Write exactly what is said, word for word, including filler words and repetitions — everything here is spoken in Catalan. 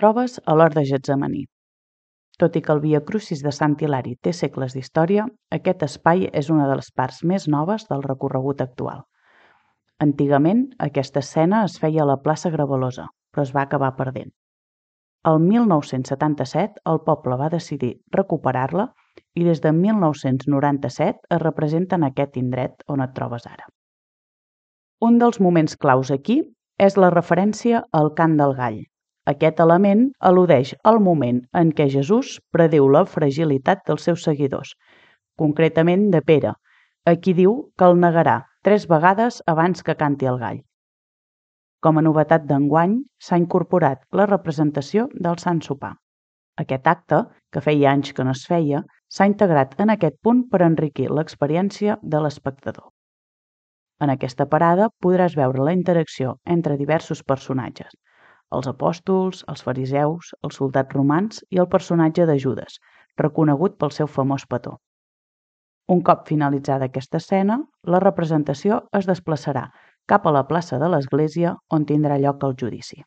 trobes a l'hort de Getsemaní. Tot i que el Via Crucis de Sant Hilari té segles d'història, aquest espai és una de les parts més noves del recorregut actual. Antigament, aquesta escena es feia a la plaça Grevalosa, però es va acabar perdent. El mil nou-cents setanta-set, el poble va decidir recuperar-la i des de mil nou-cents noranta-set es representa en aquest indret on et trobes ara. Un dels moments claus aquí és la referència al cant del gall. Aquest element al·ludeix al moment en què Jesús prediu la fragilitat dels seus seguidors, concretament de Pere, a qui diu que el negarà tres vegades abans que canti el gall. Com a novetat d'enguany, s'ha incorporat la representació del Sant Sopar. Aquest acte, que feia anys que no es feia, s'ha integrat en aquest punt per enriquir l'experiència de l'espectador. En aquesta parada podràs veure la interacció entre diversos personatges, els apòstols, els fariseus, els soldats romans i el personatge de Judes, reconegut pel seu famós petó. Un cop finalitzada aquesta escena, la representació es desplaçarà cap a la plaça de l'església on tindrà lloc el judici.